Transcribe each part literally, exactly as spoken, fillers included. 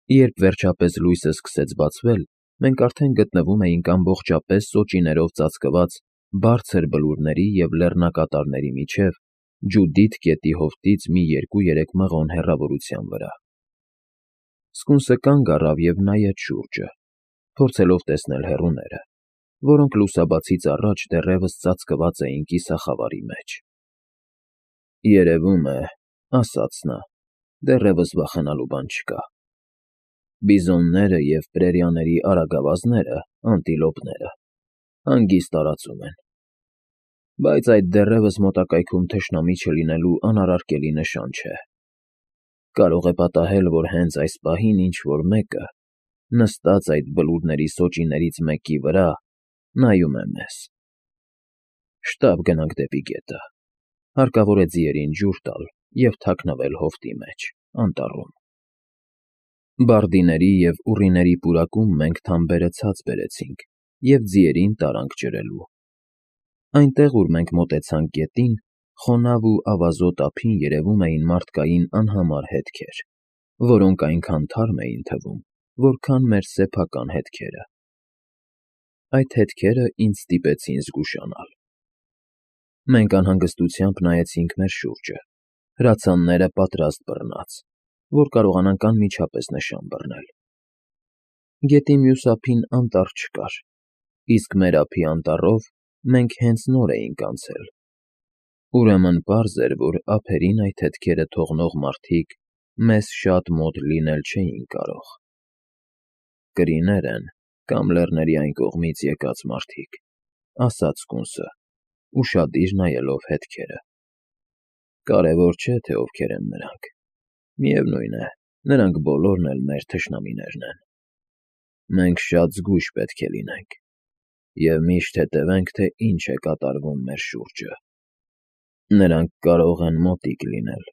Երբ վերջապես լույսը սկսեց բացվել, մենք արդեն գտնվում էինք ամբողջապես սոճիներով ծածկված բարձր բլուրների և լեռնակատարների միջև Ջուդիթ գետի հովտից մի երկու֊երեք մղոն հեռավորության վրա։ Սկունսը կանգ առավ և նայեց շուրջը, փորձելով տեսնել հեռուները, որոնք լուսաբացից առաջ դեռևս ծածկված էին կիսախավարի մեջ։ ֊ Երևում է,֊ ասաց նա,֊ դեռևս վախենալու բան չկա։ Բիզոնները և պրերիաների արագավազները (անտիլոպները) հանգիստ տարածում են, բայց այդ դեռևս մոտակայքում թշնամի չլինելու անարարկելի նշան չէ։ Կարող է պատահել, որ հենց այս պահին ինչ֊որ մեկը, նստած այդ բլուրների սոճիներից մեկի վրա, նայում է մեզ։ Շտապ գնանք դեպի գետը, հարկավոր է ձիերին ջուր տալ և թաքնվել հովտի մեջ, անտառում։ Բարդիների և ուռիների պուրակում մենք թամբերը ցած բերեցինք և ձիերին տարանք ջրելու։ Այնտեղ, ուր մենք մոտեցանք գետին, խոնավ ու ավազոտ ափին երևում էին մարդկային անհամար հետքեր, որոնք այնքան թարմ էին թվում, որքան մեր սեփական հետքերը։ Այդ հետքերը ինձ ստիպեցին զգուշանալ։ Մենք անհանգստությամբ նայեցինք մեր շուրջը, հրացանները պատրաստ բռնած, որ կարողանանք անմիջապես նշան բռնել։ Գետի մյուս ափին անտառ չկար, իսկ մեր ափի անտառով մենք հենց նոր էինք անցել, ուրեմն պարզ էր, որ ափերին այդ հետքերը թողնող մարդիկ մեզ շատ մոտ լինել չէին կարող։ «Կրիներ են կամ լեռների այն կողմից եկած մարդիկ,֊ ասաց սկունսը, ուշադիր նայելով հետքերը։ Կարևոր չէ, թե ովքեր են նրանք, միևնույն է, նրանք բոլորն էլ մեր թշնամիներն են։ Մենք շատ զգույշ պետք է լինենք և միշտ հետևենք, թե ինչ է կատարվում մեր շուրջը։ Նրանք կարող են մոտիկ լինել»։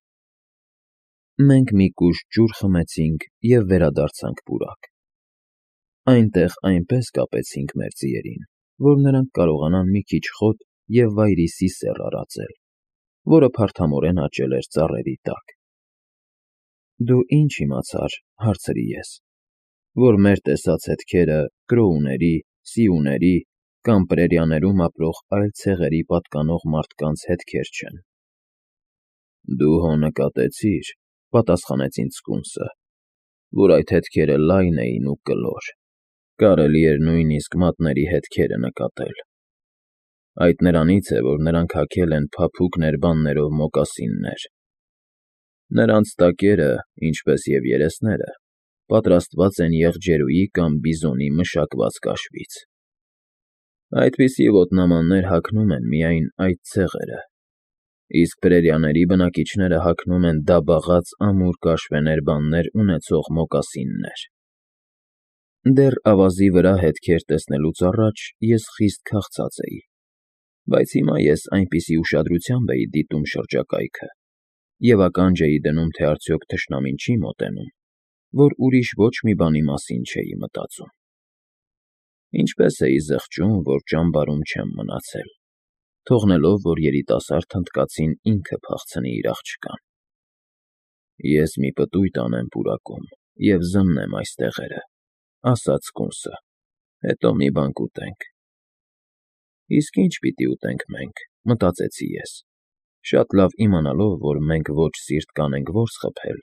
Մենք մի կուժ ջուր խմեցինք և վերադարձանք պուրակ։ Այնտեղ այնպես կապեցինք մեր ձիերին, որ նրանք կարողանան մի քիչ խոտ և վայրիսի սեռ արածել, որը փարթամորեն աճել էր ծառերի տակ։ ֊ Դու ի՞նչ իմացար,֊ հարցրի ես,֊ որ մեր տեսած հետքերը Կրոուների, Սիուների կամ պրերիաներում ապրող այլ ցեղերի պատկանող մարդկանց հետքեր չեն։ ֊ Դու հո նկատեցիր,֊ պատասխանեց ինձ սկունսը,֊ որ այդ հետքերը լայն էին ու կլոր, կարելի էր նույնիսկ մատների հետքերը նկատել։ Այդ նրանից է, որ նրանք հագել են փափուկ ներբաններով մոկասիններ։ Նրանց տակերը, ինչպես և երեսները, պատրաստված են եղջերուի կամ բիզոնի մշակված կաշվից։ Այդպիսի ոտնամաններ հագնում են միայն այդ ցեղերը, իսկ պրերիաների բնակիչները հագնում են դաբաղած ամուր կաշվե ներբաններ ունեցող մոկասիններ։ Դեռ ավազի վրա հետքեր տեսնելուց առաջ ես խիստ քաղցած էի, բայց հիմա ես այնպիսի ուշադրությամբ էի դիտում շրջակայքը և ականջ էի դնում, թե արդյոք թշնամին չի մոտենում, որ ուրիշ ոչ մի բանի մասին չէի մտածում։ Ինչպես էի զղջում, որ ճամբարում չեմ մնացել, թողնելով, որ երիտասարդ հնդկացին ինքը փախցնի իր աղջկան։ Ես մի պտույտ անեմ պուրակում և զննեմ այս տեղերը,֊ ասաց սկունսը,֊ հետո մի բան կուտենք։ Իսկ ի՞նչ պիտի ուտենք մենք,֊ մտածեցի ես, շատ լավ իմանալով, որ մենք ոչ սիրտ կանենք որս խփել,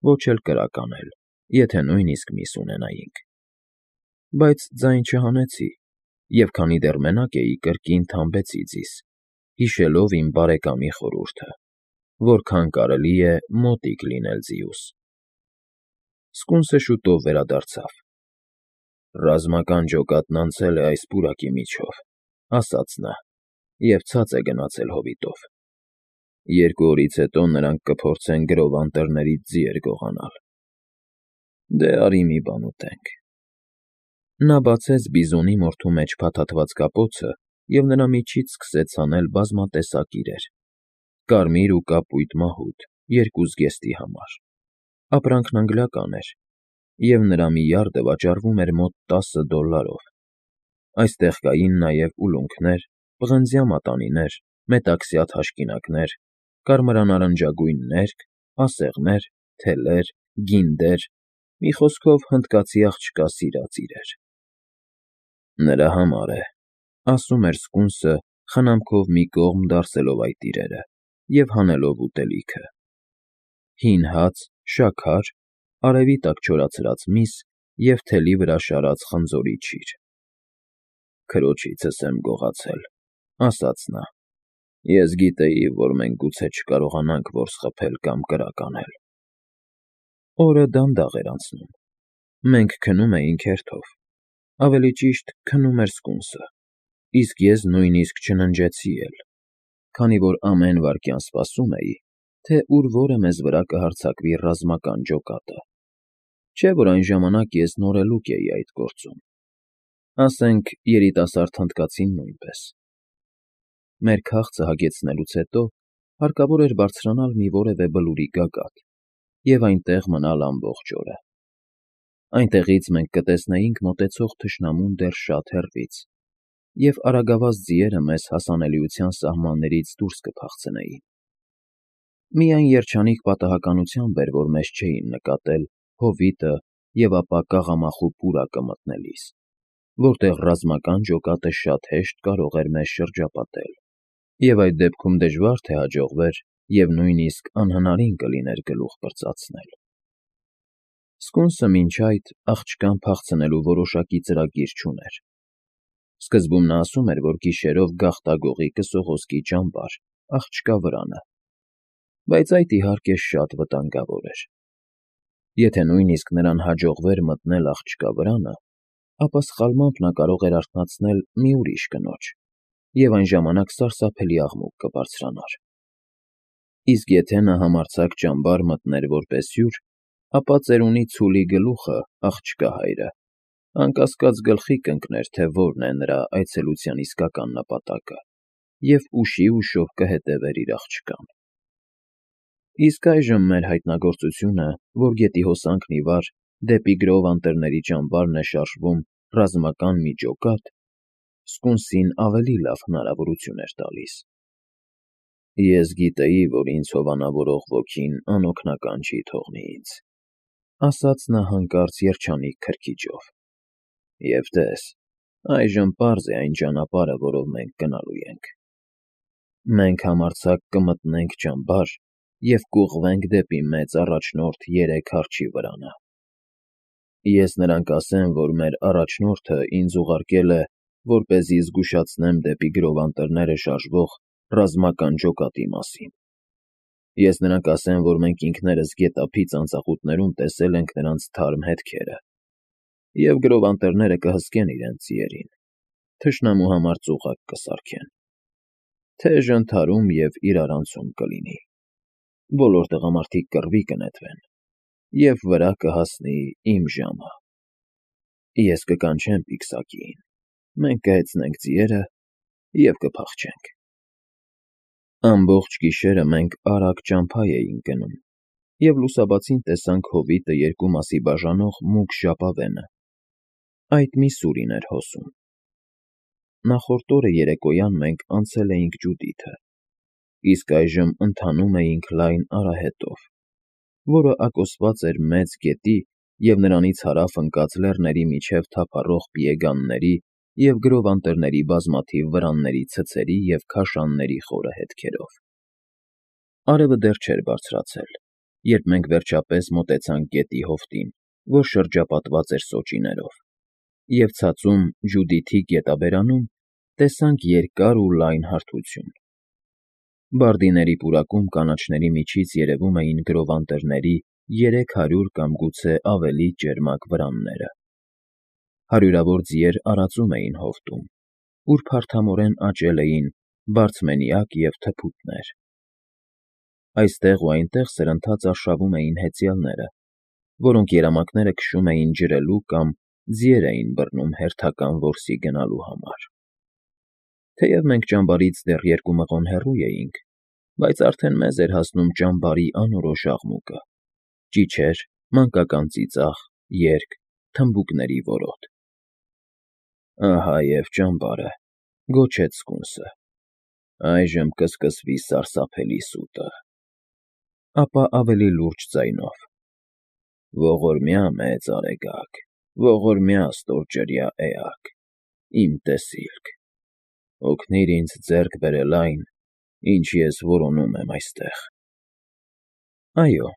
ոչ էլ կրակ անել, եթե նույնիսկ միս ունենայինք։ Բայց ձայն չհանեցի, և քանի դեռ մենակ էի, կրկին թամբեցի ձիզ, հիշելով իմ բարեկամի խորհուրդը. որքան կարելի է մոտիկ լինել ձիուս։ Սկունսը շուտով վերադարձավ։ «Ռազմական ջոկատն անցել է այս պուրակի միջով,֊ ասաց նա,֊ և ցած է գնացել հովիտով։ Երկու օրից հետո նրանք կփորձեն գրով անտառներից ձիեր գողանալ։ Դե արի մի բան ուտենք»։ Նա բացեց բիզոնի մորթու մեջ փաթաթված կապոցը և նրա միջից սկսեց հանել բազմատեսակ իրեր՝ կարմիր ու կապույտ մահուդ երկու զգեստի համար։ Ապրանքն անգլիական էր, և նրա մի յարդը վաճառվում էր մոտ տասը դոլլարով։ Այստեղ կային նաև ուլունքներ, պղնձյա մատանիներ, մետաքսյա թաշկինակներ, կարմրանարնջագույն ներկը, ասեղներ, թելեր, գինդեր, մի խոսքով հնդկացի աղջկա սիրած իրեր։ Նրա համար է, ասում էր սկունսը, խնամքով մի կողմ դարսելով այդ իրերը և հանելով ուտելիքը. հին հաց, շաքար, արևի տակ չորացրած միս և թելի վրա շարած խնձորի չիր։ Քրոջիցս եմ գողացել, ասաց նա, ես գիտեի, որ մենք գուցե չկարողանանք որս խփել կամ կրակ անել։ Օրը դանդաղ էր անցնում, մենք քնում էինք հերթով, ավելի ճիշտ քնում էր սկունսը, իսկ ես նույնիսկ չննջեցի էլ, քանի որ ամեն վայրկյան սպասում էի, թե ուր որը մեզ վրա կհարձակվի ռազմական ջոկատը, չէ՞ որ այն ժամանակ ես նորելուկ էի այդ գործում, ասենք երիտասարդ հնդկացին նույնպես։ Մեր քաղցը հագեցնելուց հետո հարկավոր էր բարձրանալ մի որևէ բլուրի գագաթ և այնտեղ մնալ ամբողջ օրը։ Այնտեղից մենք կտեսնեինք մոտեցող թշնամուն դեռ շատ հեռվից, և արագավազ ձիերը մեզ հասանելիության սահմաններից դուրս կփախցնեին։ Միայն երջանիկ պատահականությամբ էր, որ մեզ չէին նկատել հովիտը և ապա կաղամախու պուրակը մտնելիս, որտեղ ռազմական ջոկատը շատ հեշտ կարող էր մեզ շրջապատել, և այդ դեպքում դժվար թե հաջողվեր և նույնիսկ անհնարին կլիներ գլուխ պրծացնել։ Սկունսը մինչ այդ աղջկան փախցնելու որոշակի ծրագիր չուներ։ Սկզբում նա ասում էր, որ գիշերով գաղտագողի կսողոսկի ճամբար, աղջկա վրանը, բայց այդ, իհարկե, շատ վտանգավոր էր։ Եթե նույնիսկ նրան հաջողվեր մտնել աղջկա վրանը, ապա սխալմամբ նա կարող էր արթնացնել մի ուրիշ կնոջ, և այն ժամանակ սարսափելի աղմուկ կբարձրանար։ Իսկ եթե նա համարձակ ճամբար մտներ որպես հյուր, ապա ծերունի ցուլի գլուխը, աղջկա հայրը, անկասկած գլխի կընկներ, թե որն է նրա այցելության իսկական նպատակը, և ուշի֊ուշով կհետևեր իր աղջկան։ Իսկ այժմ մեր հայտնագործությունը, որ գետի հոսանքն ի վար դեպի գրով անտառների ճամբարն է շարժվում ռազմական մի ջոկատ, սկունսին ավելի լավ հնարավորություն էր տալիս։ Ես գիտեի, որ ինձ հովանավորող ոգին անօգնական չի թողնի ինձ, ասաց նա հանկարծ երջանիկ քրքիջով, և տես, այժմ պարզ է այն ճանապարհը, որով մենք գնալու ենք։ Մենք համարձակ կմտնենք ճամբար և կուղղվենք դեպի մեծ առաջնորդ երեք արջի վրանը։ Ես նրան կասեմ, որ մեր առաջնորդը ինձ ուղարկել է, որպեսզի զգուշացնեմ դեպի գրով անտառները շարժվող ռազմական ջոկատի մասին։ Ես նրան կասեմ, որ մենք ինքներս գետափի ծանծաղուտներում տեսել ենք նրանց թարմ հետքերը, և գրով անտառները կհսկեն իրենց ձիերին, թշնամու համար ծուղակ կսարքեն, թեժ ընդհարում և իրարանցում կլինի, բոլոր տղամարդիկ կռվի կնետվեն, և վրա կհասնի իմ ժամը։ Ես կկանչեմ պիկսակիին, մենք կհեծնենք ձիերը և կփախչենք։ Ամբողջ գիշերը մենք արագ ճամփա էինք գնում և լուսաբացին տեսանք հովիտը երկու մասի բաժանող մուգ ժապավենը, այդ մի սուրին էր հոսում։ Նախորդ օրը երեկոյան մենք անցել էինք ջուդիթը, իսկ այժմ ընթանում էինք լայն արահետով, որը ակոսված էր մեծ գետի և նրանից հարավ ընկած լեռների միջև թափառող պիեգանների և գրով անտառների բազմաթիվ վրանների ցցերի և քաշանների խորը հետքերով։ Արևը դեռ չէր բարձրացել, երբ մենք վերջապես մոտեցանք գետի հովտին, որ շրջապատված էր սոճիներով, և ցածում Ջուդիթի գետաբերանում տեսանք երկար ու լայն հարթություն։ Բարդիների պուրակում կանաչների միջից երևում էին գրով անտառների երեք հարյուր կամ գուցե ավելի ճերմակ վրանները։ Հարյուրավոր ձիեր արածում էին հովտում, ուր փարթամորեն աճել էին բարձմենիակ և թփուտներ։ Այստեղ ու այնտեղ սրընթաց արշավում էին հեծյալները, որոնք երամակները քշում էին ջրելու կամ ձիեր էին բռնում հերթական որսի գնալու համար։ Թեև մենք ճամբարից դեռ երկու մղոն հեռու էինք, բայց արդեն մեզ էր հասնում ճամբարի անորոշ աղմուկը՝ ճիչեր, մանկական ծիծաղ, երգ, թմբուկների որոտ։ Ահա և ճամբարը, գոչեց սկունսը, այժմ կսկսվի սարսափելի սուտը։ Ապա ավելի լուրջ ձայնով. Ողորմյա մեծ արեգակ, ողորմյա ստորջրյա էակ, իմ տեսիլք, օգնիր ինձ ձեռք բերել այն, ինչ ես որոնում եմ այստեղ… Այո,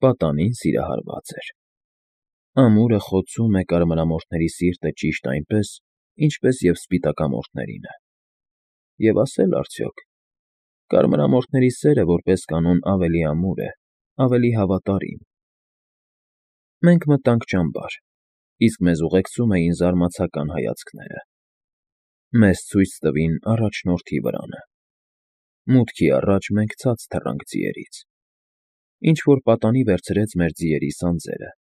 պատանին սիրահարված էր… Ամուրը խոցում է կարմրամորթների սիրտը ճիշտ այնպես, ինչպես և սպիտակամորթներինը… Եվ ասել արդյոք… Կարմրամորթների սերը, որպես կանոն, ավելի ամուր է, ավելի հավատարիմ… Մենք մտանք ճամբար, իսկ մեզ ուղեկցում էին զարմացական հայացքները… Մեզ ցույց տվին առաջնորդի վրանը… Մուտքի առաջ մենք ցած թռանք ձիերից… Ինչ֊որ պատանի վերցրեց մեր ձիերի սանձերը,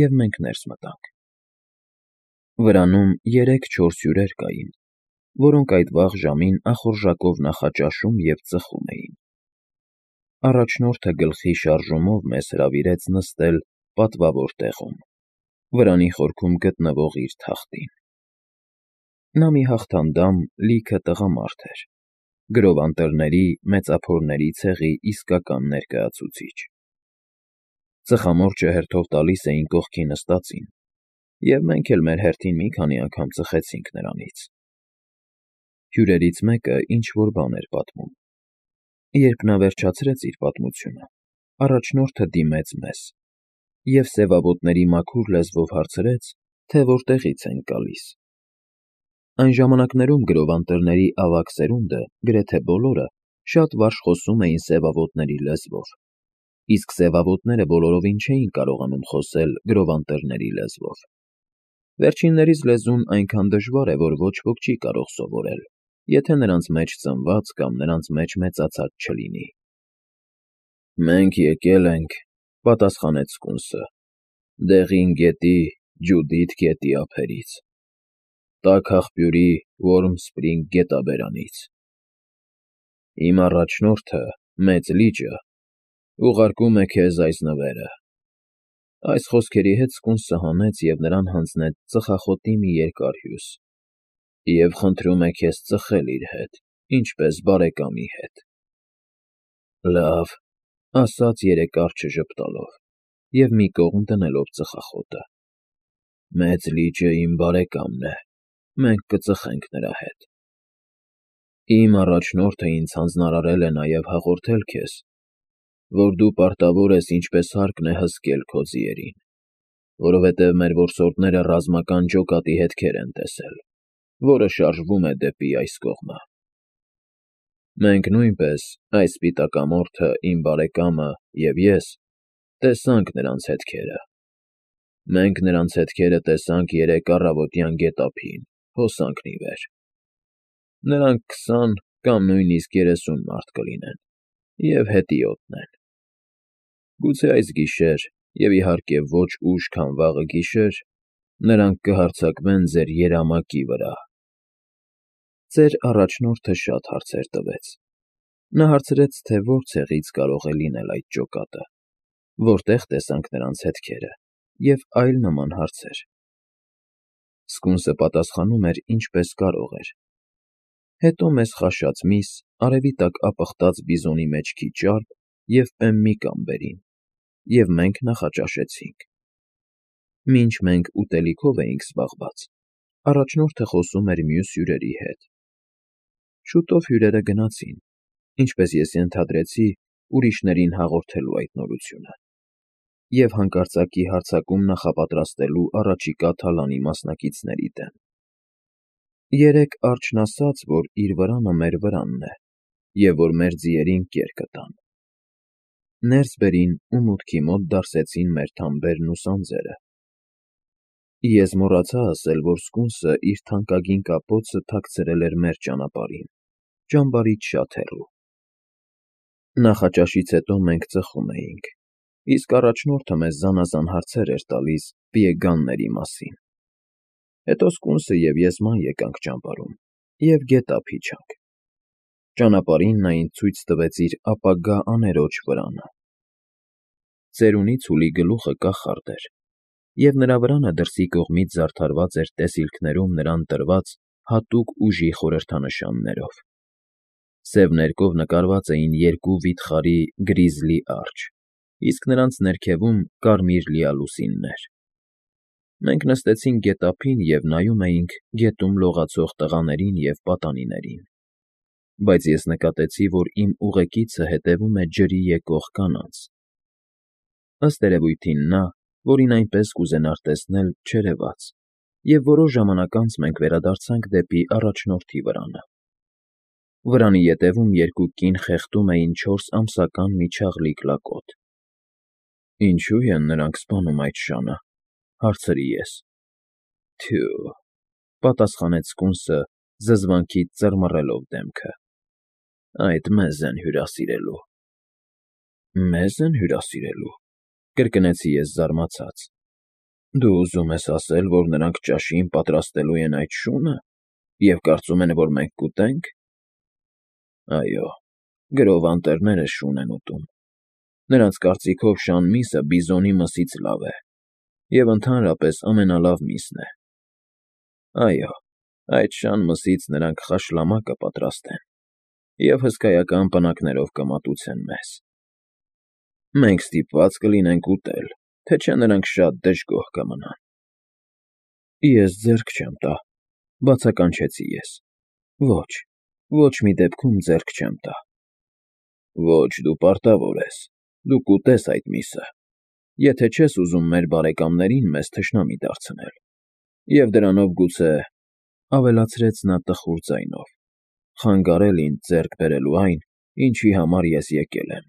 և մենք ներս մտանք… Վրանում երեք֊չորս հյուրեր կային, որոնք այդ վաղ ժամին ախորժակով նախաճաշում և ծխում էին… Առաջնորդը գլխի շարժումով մեզ հրավիրեց նստել պատվավոր տեղում, վրանի խորքում գտնվող իր թախտին… Նա մի հաղթանդամ, լիքը տղամարդ էր, գրով անտառների, մեծափորների ցեղի իսկական ներկայացուցիչ… Ծխամորճը հերթով տալիս էին կողքի նստածին, և մենք էլ մեր հերթին մի քանի անգամ ծխեցինք նրանից… Հյուրերից մեկը ինչ֊որ բան էր պատմում… Երբ նա վերջացրեց իր պատմությունը, առաջնորդը դիմեց մեզ և սևավոտների մաքուր լեզվով հարցրեց, թե որտեղից ենք գալիս… Այն ժամանակներում գրով անտառների ավագ սերունդը, գրեթե բոլորը, շատ վարժ խոսում էին սևավոտների լեզվով, իսկ սևավոտները բոլորովին չէին կարողանում խոսել գրով անտառների լեզվով… Վերջիններիս լեզուն այնքան դժվար է, որ ոչ ոք չի կարող սովորել, եթե նրանց մեջ ծնված կամ նրանց մեջ մեծացած չլինի… Մենք եկել ենք,֊ պատասխանեց սկունսը,֊ Դեղին գետի, Ջուդիթ գետի ափերից, Տաք աղբյուրի Որմ Սպրինգ գետաբերանից… Իմ առաջնորդը՝ Մեծ լիճը, ուղարկում է քեզ այս նվերը… Այս խոսքերի հետ սկունսը հանեց և նրան հանձնեց ծխախոտի մի երկար հյուս… Եվ խնդրում է քեզ ծխել իր հետ, ինչպես բարեկամի հետ… Լավ,֊ ասաց երեկառչը ժպտալով և մի կողմ դնելով ծխախոտը,֊ Մեծ լիճը իմ բարեկամն է, մենք կծխենք նրա հետ… Իմ առաջնորդը ինձ հանձնարարել է նաև հաղորդել քեզ, որ դու պարտավոր ես ինչպես հարկն է հսկել քո ձիերին, որովհետև մեր որսորդները ռազմական ջոկատի հետքեր են տեսել, որը շարժվում է դեպի այս կողմը… Մենք նույնպես, այս սպիտակամորթը, իմ բարեկամը և ես, տեսանք նրանց հետքերը… Մենք նրանց հետքերը տեսանք երեկ առավոտյան գետափին, հոսանքն ի վեր… Նրանք քսան կամ նույնիսկ երեսուն մարդ կլինեն և հետիոտն են… Գուցե այս գիշեր, և իհարկե ոչ ուշ, քան վաղը գիշեր, նրանք կհարձակվեն ձեր երամակի վրա… Ձեր առաջնորդը շատ հարցեր տվեց… Նա հարցրեց, թե որ ցեղից կարող է լինել այդ ջոկատը, որտեղ տեսանք նրանց հետքերը և այլ նման հարցեր… Սկունսը պատասխանում էր ինչպես կարող էր… Հետո մեզ խաշած միս, արևի տակ ապխտած բիզոնի մեջքի ճարպ և պեմմի կամ բերին, և մենք նախաճաշեցինք… Մինչ մենք ուտելիքով էինք զբաղված, առաջնորդը խոսում էր մյուս հյուրերի հետ… Շուտով հյուրերը գնացին, ինչպես ես ենթադրեցի, ուրիշներին հաղորդելու այդ նորությունը… և հանկարծակի հարձակում նախապատրաստելու առաջիկա թալանի մասնակիցների դեմ… Երեկ արջն ասաց, որ իր վրանը մեր վրանն է և որ մեր ձիերին կեր կտան… Ներս բերին ու մուտքի մոտ դարսեցին մեր թամբերն ու սանձերը… Ես մոռացա ասել, որ սկունսը իր թանկագին կապոցը թաքցրել էր մեր ճանապարհին, ճամբարից շատ հեռու… Նախաճաշից հետո մենք ծխում էինք, իսկ առաջնորդը մեզ զանազան հարցեր էր տալիս պիեգանների մասին… Հետո սկունսը և ես ման եկանք ճամբարում և գետափ իջանք… Ճանապարհին նա ինձ ցույց տվեց իր ապագա աներոջ վրանը… Ծերունի ցուլի գլուխը կախարդ էր, և նրա վրանը դրսի կողմից զարդարված էր տեսիլքներում նրան տրված հատուկ ուժի խորհրդանշաններով… Սև ներկով նկարված էին երկու վիթխարի գրիզլի արջեր, իսկ նրանց ներքևում կարմիր լիալուսիններ։ Մենք նստեցինք գետափին և նայում էինք գետում լողացող տղաներին և պատանիներին, բայց ես նկատեցի, որ իմ ուղեկիցը հետևում է ջրի եկող կանանց։ Ըստ երևույթին նա, որին այնպես կուզենար տեսնել, չերևաց, և որոշ ժամանակ անց մենք վերադարձանք դեպի առաջնորդի վրանը։ Վրանի ետևում երկու կին խեղդում էին չորս ամսական մի չաղլիկ լակոտ։ ֊ Ինչո՞ւ են նրանք սպանում այդ շանը,֊ հարցրի ես։ ֊ Թյո՛,֊ պատասխանեց սկունսը, զզվանքից ծռմռելով դեմքը,֊ այդ մեզ են հյուրասիրելու։ ֊ Մե՞զ են հյուրասիրելու,֊ կրկնեցի ես զարմացած։ Դու ուզում ես ասել, որ նրանք ճաշին պատրաստելու են այդ շո՞ւնը և կարծում են, որ մենք կուտե՞նք։ ֊ Այո, գրով անտերները շուն են ուտում։ Նրանց կարծիքով շան միսը բիզոնի մսից լավ է և ընդհանրապես ամենալավ միսն է։ Այո, այդ շան մսից նրանք խաշլամա կպատրաստեն և հսկայական պնակներով կմատուցեն մեզ։ Մենք ստիպված կլինենք ուտել, թե չէ նրանք շատ դժգոհ կմնան։ ֊ Ես ձեռք չեմ տա,֊ բացականչեցի ես։ Ոչ, ոչ մի դեպքում ձեռք չեմ տա։ ֊ Ոչ, դու պարտավոր ես, դու կուտես այդ միսը, եթե չես ուզում մեր բարեկամներին մեզ թշնամի դարձնել, և դրանով գուցե,֊ ավելացրեց նա տխուր ձայնով,֊ խանգարել ինձ ձեռք բերելու այն, ինչի համար ես եկել եմ։